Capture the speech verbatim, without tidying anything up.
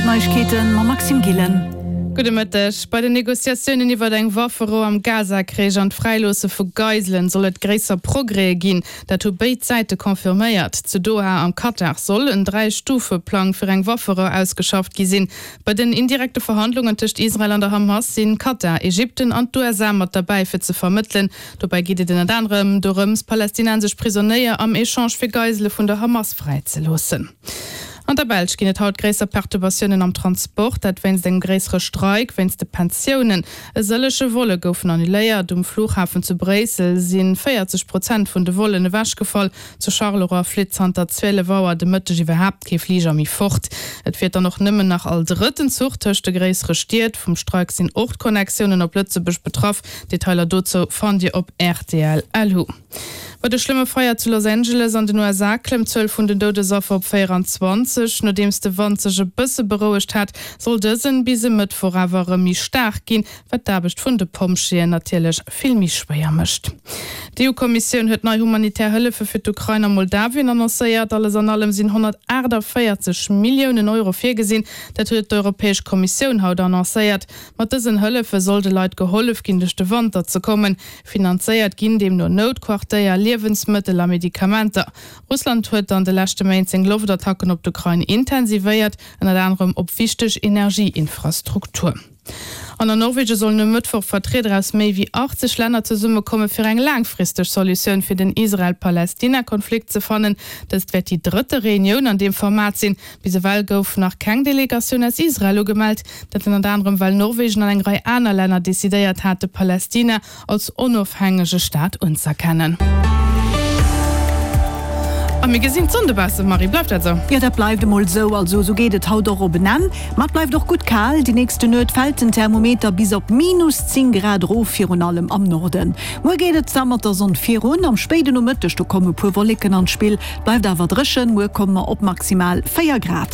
Neiegkeeten mam Maxime Gillen. Gudde Mëtteg. Bei den Negociatiounen iwwer eng Wafferou am Gaza-Krich an d'Fräiloosse vu Geiselen soll et gréisser Progrèse ginn. Dat hu béid Säite confirméiert. Zu Doha am Katar soll en Dräi-Stufe-Plang fir eng Wafferou ausgeschafft gi sinn. Bei den indirekte Verhandlungen tëscht Israel an der Hamas sinn Katar, Ägypten an d'USA mat derbäi fir ze vermëttelen. Dobäi geet et ënnert anerem dorëms, palästinensesch Prisonéier am Echange fir Geisele vun der Hamas fräizeloossen. An der Belsch ginn et haut gréisser Perturbatiounen am Transport, dat wéinst engem gréissere Streik wéinst de Pensiounen. E sëllege Volle goufen annuléiert. Um Flughafen zu Bréissel si véierzeg Prozent vun de Vollen ewechgefall. Zu Charleroi flitt zanter zwielef Auer de Mëtteg iwwerhaapt kee Fliger méi fort. Et fiert dann och nëmmen nach all drëtten Zuch tëscht de gréissere Stied. Vum Streik sinn och d'Connectiounen op Lëtzebuerg betraff. Detailer dozou fannt Dir op rtl. Lu. Bei de schlëmme Feier zu Los Angeles an den U S A klëmmt d'Zuel vun den Doudesaffer op véierenzwanzeg. Nodeems de Wand sech e bësse berouegt hat, soll dësen bis e Mëttwoch awer erëm méi staark ginn, wat d'Aarbecht vun de Pompjeeën natierlech vill méi schwéier mécht. D'E U-Kommissioun huet nei humanitär Hëllefe fir d'Ukrain a Moldawien annoncéiert. Alles an allem sinn honnertaachtavéierzeg Milliounen Euro virgesinn. Dat huet d'Europäesch Kommissioun haut annoncéiert. Mat dësen Hëllefe soll de Leit gehollef ginn, duerch de Wanter ze kommen. Finanzéiert ginn deemno Noutquartéier, Liewensmëttel a Medikamenter. Russland huet an de leschte Méint seng Loftattacken op d'Ukrain intensivéiert, ënnert anerem op wichteg Energieinfrastruktur. An an Norwegen sollen e Mëttwoch Vertrieder aus méi wéi achtzeg Länner zesummekomme fir eng laangfristeg Solutioun fir den Israel-Palästina-Konflikt ze fannen. Dëst wäert déi drëtte Reunioun an deem Format sinn. Bis ewell gouf nach keng Delegatioun aus Israel ugemellt. Dat ënnert anerem well Norwegen an eng Rei aner Länner decidéiert hate Palästina als onofhängege Staat unzëerkennen. A mir gesinn d'Sonn dobaussen, Marie, bleift dat esou? Jo, dat bleift emol esou. Also esou geet et haut och op en Enn. Ma et bleift och gutt kal. Déi nächste Nuet fält den Thermometer bis op minus zéng Grad erof, virun allem am Norden. Muer geet et da mat der Sonn virun. Am spéiden Nomëtteg, do kommen e puer Wolleken an d'Spill. Et bleift awer dréchen. Muer komme mer op maximal véier Grad.